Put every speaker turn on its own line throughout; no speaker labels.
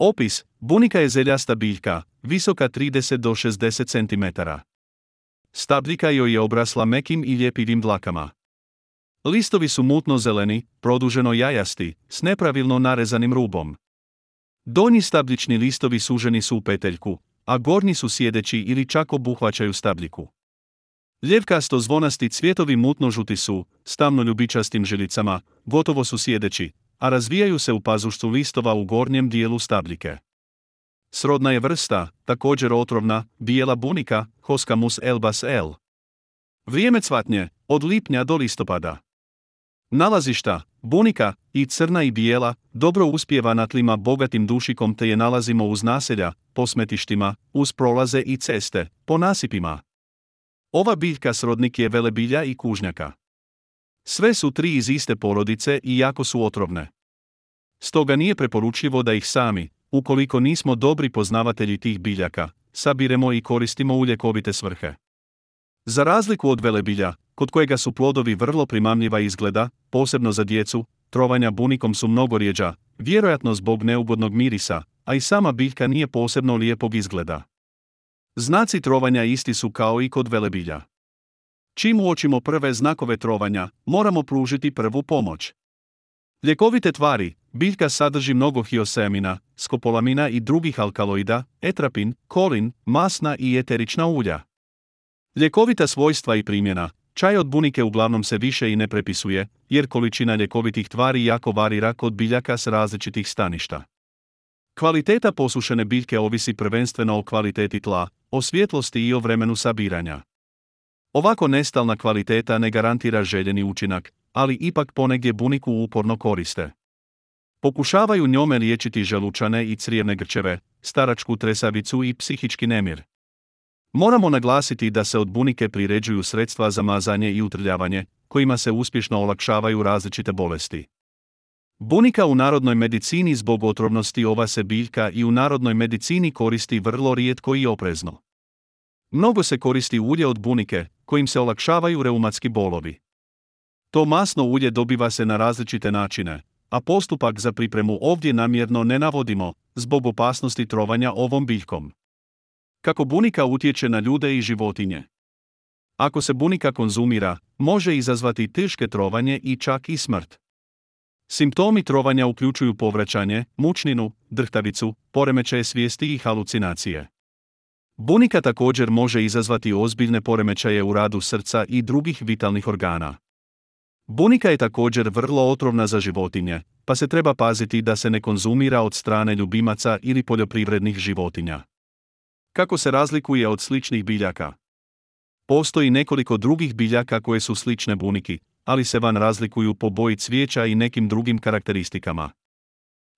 Opis: bunika je zeljasta biljka, visoka 30 do 60 cm. Stabljika joj je obrasla mekim i ljepivim dlakama. Listovi su mutno-zeleni, produženo jajasti, s nepravilno narezanim rubom. Donji stabljični listovi suženi su u peteljku, a gornji su sjedeći ili čak obuhvaćaju stabljiku. Ljevkasto zvonasti cvjetovi mutno-žuti su, s tamno-ljubičastim žilicama, gotovo su sjedeći, a razvijaju se u pazuštu listova u gornjem dijelu stabljike. Srodna je vrsta, također otrovna, bijela bunika, Hoscamus elbas L. Vrijeme cvatnje, od lipnja do listopada. Nalazišta: bunika, i crna i bijela, dobro uspijeva na tlima bogatim dušikom te je nalazimo uz naselja, po smetištima, uz prolaze i ceste, po nasipima. Ova biljka srodnik je velebilja i kužnjaka. Sve su tri iz iste porodice i jako su otrovne. Stoga nije preporučljivo da ih sami, ukoliko nismo dobri poznavatelji tih biljaka, sabiremo i koristimo u ljekovite svrhe. Za razliku od velebilja, kod kojega su plodovi vrlo primamljiva izgleda, posebno za djecu, trovanja bunikom su mnogo rjeđa, vjerojatno zbog neugodnog mirisa, a i sama biljka nije posebno lijepog izgleda. Znaci trovanja isti su kao i kod velebilja. Čim uočimo prve znakove trovanja, moramo pružiti prvu pomoć. Ljekovite tvari: biljka sadrži mnogo hioseamina, skopolamina i drugih alkaloida, etrapin, kolin, masna i eterična ulja. Ljekovita svojstva i primjena: čaj od bunike uglavnom se više i ne prepisuje, jer količina ljekovitih tvari jako varira kod biljaka s različitih staništa. Kvaliteta posušene biljke ovisi prvenstveno o kvaliteti tla, o svjetlosti i o vremenu sabiranja. Ovako nestalna kvaliteta ne garantira željeni učinak, ali ipak ponegdje buniku uporno koriste. Pokušavaju njome liječiti želučane i crijevne grčeve, staračku tresavicu i psihički nemir. Moramo naglasiti da se od bunike priređuju sredstva za mazanje i utrljavanje, kojima se uspješno olakšavaju različite bolesti. Bunika u narodnoj medicini zbog otrovnosti ova se biljka i u narodnoj medicini koristi vrlo rijetko i oprezno. Mnogo se koristi ulje od bunike, kojim se olakšavaju reumatski bolovi. To masno ulje dobiva se na različite načine, a postupak za pripremu ovdje namjerno ne navodimo, zbog opasnosti trovanja ovom biljkom. Kako bunika utječe na ljude i životinje? Ako se bunika konzumira, može izazvati teške trovanje i čak i smrt. Simptomi trovanja uključuju povraćanje, mučninu, drhtavicu, poremećaje svijesti i halucinacije. Bunika također može izazvati ozbiljne poremećaje u radu srca i drugih vitalnih organa. Bunika je također vrlo otrovna za životinje, pa se treba paziti da se ne konzumira od strane ljubimaca ili poljoprivrednih životinja. Kako se razlikuje od sličnih biljaka? Postoji nekoliko drugih biljaka koje su slične buniki, ali se van razlikuju po boji cvijeća i nekim drugim karakteristikama.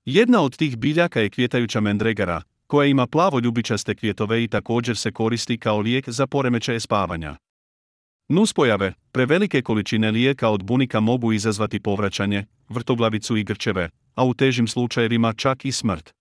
Jedna od tih biljaka je kvjetajuća mendregara, koja ima plavo-ljubičaste kvjetove i također se koristi kao lijek za poremećaje spavanja. Nuspojave: prevelike količine lijeka od bunika mogu izazvati povraćanje, vrtoglavicu i grčeve, a u težim slučajevima čak i smrt.